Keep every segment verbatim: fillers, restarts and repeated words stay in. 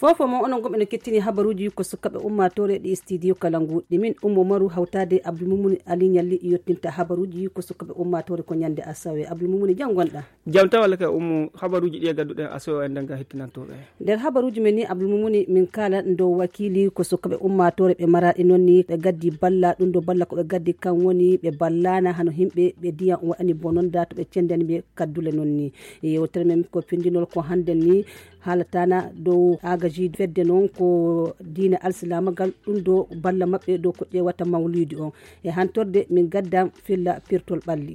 Fofo mo onon gomɓe no kettini habaruuji ko sukaɓe ummaatoore ɗi studio kalangu ɗi min ummo maru hawtaade abdoulmumuni ali ñalli yottinta habaruuji ko sukaɓe ummaatoore ko ñande asawe abdoulmumuni janngonɗa. Jam tan walla kay ummo habaruuji ɗi e gadduɗen asawe o enden ga hettinantooɓe. Nder habaruuji men ni abdoulmumuni min kala ndo wakiili ko sukaɓe ummaatoore ɓe maraɗi noon ni ɓe gaddi balla ɗum ɗo balla ko ɓe gaddi kan woni ɓe ballana hano himɓe ɓe diyan waɗani bononda to ɓe cendani ɓe kaddule noon ni. Yewtere men ko pindinol ko hannden ni haalatana dow agaji fedde noon ko diina alsilaamagal ɗum ɗo balla maɓɓe dow ko ƴeewata mawlidi on e hantorde min gaddan filla pirtol ɓalli.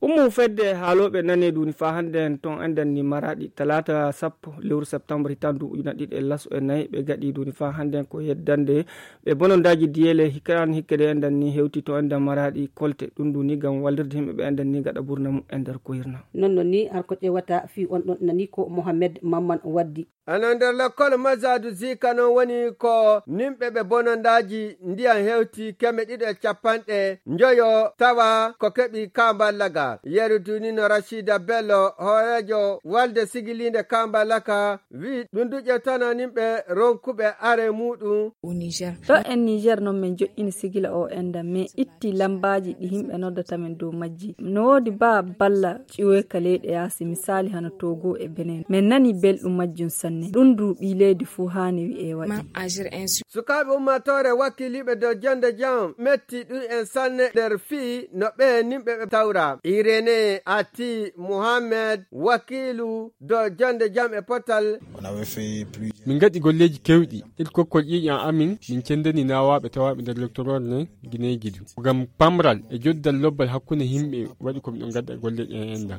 Ummu fedde haalooɓe nane duuni faa hannden ton enden ni maraɗi talaata sappo lewru septembre hitandu ujuna ɗiɗi e laso e nayi ɓe gaɗi duuni faa hannden ko yeddande ɓe bonondaaji diyele hikkaan hikkede enden ni hewti to enden maraɗi kolte ɗum duuni ngam wallirde yimɓe ɓe enden ni gaɗa burna mu e nder ko hirna. Noon noon ni har ko ƴeewata fii on ɗon nani ko mohammed mamman waddi. Eno nder lekkol mazadu zika noon woni ko nimɓe ɓe bonondaaji ndiyam hewti keme ɗiɗo e capanɗe njoyo tawa ko keɓi ka mballa ga yeru dunino rachida bello hooreejo walde sigiliinde ka mballa ka wi ɗum duƴe tana nimɓe ronkuɓe are muɗum. Ɗo en niger noon min joƴƴini sigila o enda min itti lambaaji ɗi yimɓe noddata min dow majji no woodi ba balla ƴiwoyka leyɗe yaasi misaali hano togo e benen min nani belɗum majjum sanne ɗum du ɓii leydi fuu haani wi'e waɗi. Sukaaɓe ummaatoore wakkiliiɓe dow jonde jam metti ɗum en sanne nder fii no ɓe nimɓe ɓe tawra irene ati muhammed wakiilu dow jonde jam e potal. Min ngaɗi golleeji keewɗi. Ir kokkol ƴiiƴam amin min cenndani naawaaɓe tawaaɓe nder lektoror ne gineeji du ngam pamral e joddal lobbal hakkunde yimɓe waɗi ko miɗo ngadda golle ɗen enda.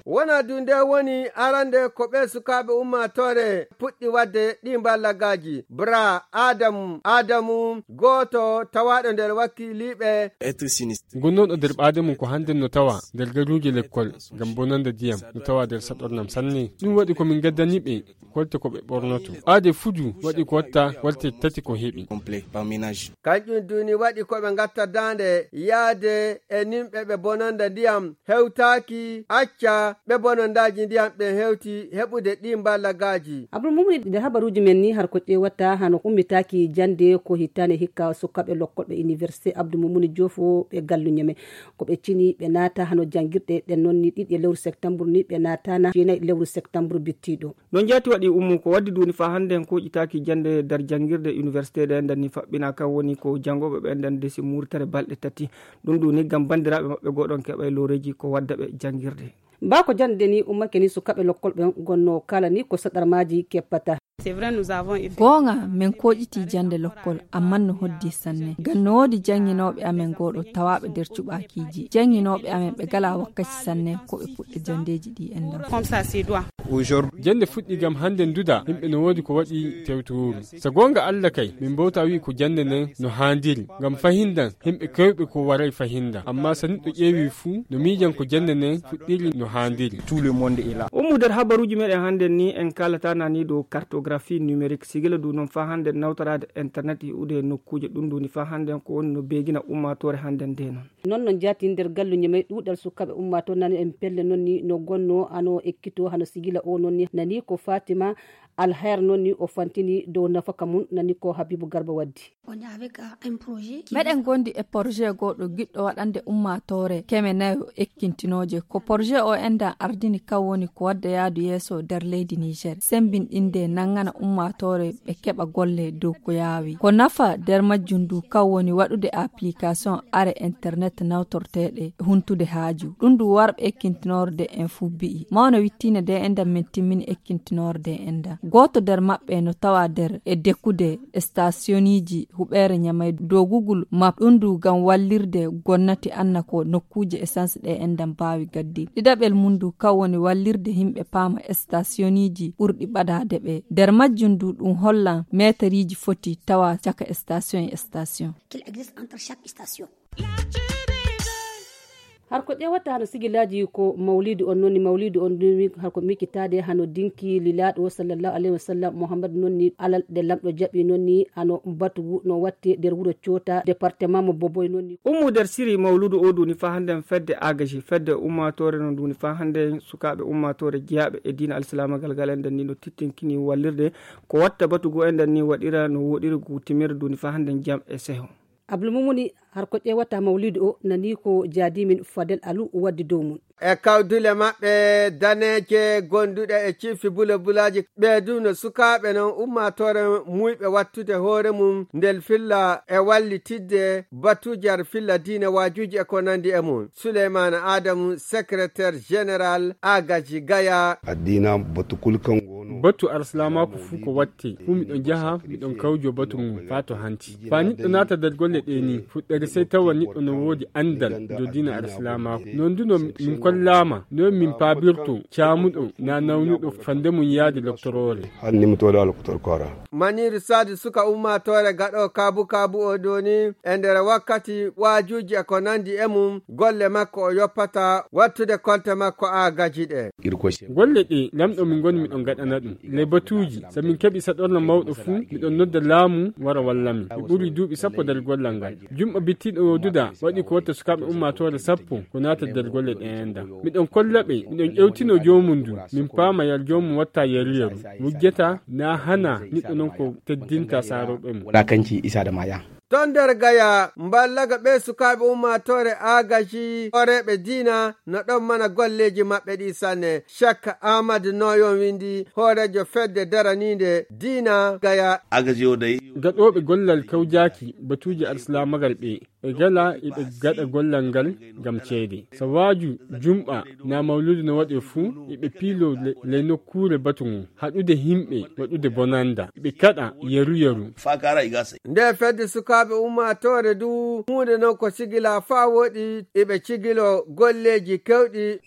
Wona du nde woni arande ko ɓe sukaaɓe ummaatoore puɗɗi waɗde ɗi mballagaaji bra adamu adamu gooto tawaaɗo nder wakkiliiɓe. Gonnooɗo nder ɓaade mum ko hannden no tawa nder garuuje lekkol ngam bonande ndiyam no tawa nder saɗornam sanne. Ɗum waɗi ko min ngaddani ɓe kolte ko ɓe ɓornoto aade fuju waɗi ko watta walte tati ko heɓi. Kañƴum duni waɗi ko ɓe ngatta daande yaade e nimɓe ɓe bononda ndiyam hewtaaki acca ɓe bonondaaji ndiyam ɓe hewti heɓude ɗi mballagaaji. Abdoulmumuni nder habaruuji men ni har ko ƴeewata hano ummitaaki jannde ko hittaane hikka sukkaɓe lokkolɓe université abdoulmumuni joofo ɓe galluñe men ko ɓe cini ɓe naata hano janngirɗe ɗen noon ni ɗiɗi e lewru septembre ni ɓe naatana jeenayi lewru septembre bittiiɗo. Noon jaati waɗi ummu ko waddi duuni faa hannde en kooƴitaaki jannde nder janngirde université ɗe enɗan ni faɓɓina kan woni ko janngooɓe ɓe enɗan desi muurtere balɗe tati. Ɗum ɗum ni ngam banndiraaɓe maɓɓe goo ɗon keɓa e looreeji ko wadda ɓe janngirde. Baa ko jannde ni ummake ni sukaaɓe lokkol ɓen gonnoo kala ni ko saɗarmaaji keppata. Goonga men kooƴitii jannde lokkol amman no hoddi sanne ngam no woodi jannginooɓe amen goo ɗo tawaaɓe nder cuɓaakiiji jannginooɓe amen ɓe galaa wakkaci sanne ko ɓe puɗɗa janndeeji ɗi enɗan. Jannde fuɗɗi ngam hannde nduda yimɓe no woodi ko waɗi tewtooru. So goonga Alla kay min mbowta wi'i ko jannde nden no haandiri ngam fahindan yimɓe kewɓe ko waray fahindan amma so neɗɗo ƴeewi fuu no miijan ko jannde nden fuɗɗiri no haandiri. Ummu nder habaruuji meɗen hannde ni en kaalata nani dow cartographie numérique sigila du noon faa hannde nawtoraade internet yi'ude e nokkuuje ɗum duni faa hannde ko woni no beegina ummaatoore hannde nde noon. Noon no jaati nder galluñe may ɗuuɗal sukaaɓe ummaatoo nani en pelle noon ni no gonnoo ano ekkitoo hano sigila o noon ni nani ko fatima alhayr noon ni o fantini dow nafaka mum nani ko habibu garba waddi. Meɗen gondi e porjet goo ɗo giɗɗo waɗande ummaatoore keme nayo ekkintinooje ko porjet o enɗan ardini kan woni ko wadda yaadu yeeso nder leydi niger sembinɗinde nangana ummaatoore ɓe keɓa golle dow ko yaawi ko nafa nder majjum ndu kan woni waɗude application are internet nawtorteeɗe huntude haaju ɗum ndu warɓe ekkintinorde en fuu bi'i mawna wittiinde nde enɗan min timmini ekkintinorde enɗan gooto nder maɓɓe no tawa nder e dekude stasioniiji huɓeere ñamay dogugol map ɗum ndu ngam wallirde gonnati anna ko nokkuuje essence ɗe enɗan mbaawi gaddi ɗiɗaɓel mum ndu kan woni wallirde yimɓe paama stasioniiji ɓurɗi ɓadaade ɓe nder majjum ndu ɗum hollan meeteriiji foti tawa caka station e station. Har ko ƴeewata hano sigilaaji ko mawlidu on noon ni, mawlidu on ni har ko miccitaade hano dinki lilaaɗo sallallahu alayhi wa sallam Muhammad noon ni, alal ɗe lamɗo jaɓi noon ni hano batugu no watte nder wuro Coota, département mo Boboy noon ni. Ummu nder siri mawludu o duuni faa hannden fedde agaji, fedde ummaatoore no duuni faa hannden sukaaɓe ummaatoore jeyaaɓe e diina alsilaamagal ngal enden ni no tittinkini wallirde ko watta batugu enden ni waɗira no wooɗiri gu timmere duuni faa hannden jam e seho. Abdul Mumuni, har ko ƴeewata mawlidu o, nani ko jaadimin Fadel Alu waddi dow mun. E kawdule maɓɓe daneeje gonduɗe e ciifi bulabulaaji, ɓe du no sukaaɓe non ummaatoore muuyɓe wattude hoore mum ndel filla e wallitidde batuuji har filla diine waajuuji e ko nandi e mum. Suleymaana Aadamu, secrétaire général Agaji Gaya. Addiina batu kul kan gono. Batu arsilaamaaku fuu ko watte, fuu miɗon jaha, miɗon kawjo batu ngun faa to hanti. Faa niɗɗo naata nder golle ɗee nii, fuɗɗere sey tawa niɗɗo no woodi anndal dow diina arsilaamaaku. Non du no min kollaama, no min paabirto caamuɗo naa nawnuɗo fande mum yaade loktoroore. Hal nimtooɗo alkotor koora. Maniiru Saadu suka ummaatoore gaɗo kaabu kaabu o ɗoo nii, e nder wakkati waajuuji e ko nandi e mum, golle makko o yoppata wattude kolte makko aagaji ɗe. Golle ɗe lamɗo min ngoni miɗon gaɗana ɗum. Le batuuji, so min keɓi saɗorna mawɗo fuu, miɗon nodda laamu wara walla min. Mi ɓuri duuɓi sappo nder gollal ngal. Jumɓa bittiiɗo o duda waɗi ko watta sukaaɓe ummaatoore sappo ko naata nder golle ɗe enda. Miɗon kolla ɓe, miɗon ƴewtino joomum ndu, min paama yar joomum watta yeru yeru. Wujjata na hana niɗɗo non ko teddinta saarooɓe mum. Wala kanci isa da maya. Ton nder Gaya, mballaga ɓe sukaaɓe ummaatoore aagaji hooreeɓe diina no ɗon mana golleeji maɓɓe ɗi sanne. Cheikh Ahmad Noyon windi hooreejo fedde daraniinde diina Gaya. Agaji o dayi. Gaɗooɓe gollal kawjaaki batuuji alsilaamagal ɓe, ɓe gala eɓe gaɗa gollal ngal ngam ceede. So waaju jumɓa naa mawluudu no waɗe fuu, eɓe piilo le, le nokkuure batu ngun, haɗude himɓe, waɗude bonannda, eɓe kaɗa yeru yeru. Fakara igase. Nde fedde sukaaɓe ummaatoore du, huunde non ko sigila faa woɗi, eɓe cigilo golleeji kewɗi.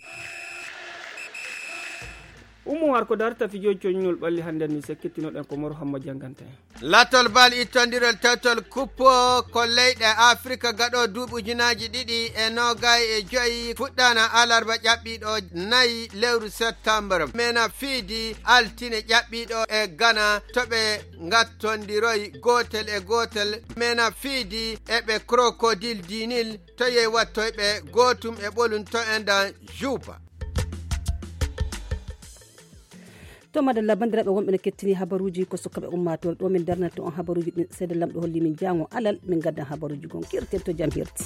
Ummu har ko darta fijooji coñinol ɓalli hannden ni sekkittinoɗen ko Moro Hamma jannganta en. Latol bal ittondirol tewtol kuppo ko leyɗe Afrika gaɗo duuɓi ujunaaji ɗiɗi e noogay e joyi fuɗɗana alarba ƴaɓɓiiɗo nayi lewru septembre. Mena fiidi altine ƴaɓɓiiɗo e Gana to ɓe ngattondiroy gootel e gootel. Mena fiidi e ɓe Crocodile du Nil to yey wattoyɓe gootum e ɓolum to endan Juba. To madalla, banndiraaɓe wonɓe no kettini habaruuji ko sukkaɓe ummaatoore ɗo min darnata on habaruuji ɗin. Seede lamɗo holli min jaango alal min gaddan habaruuji gon kirten to jam hirti.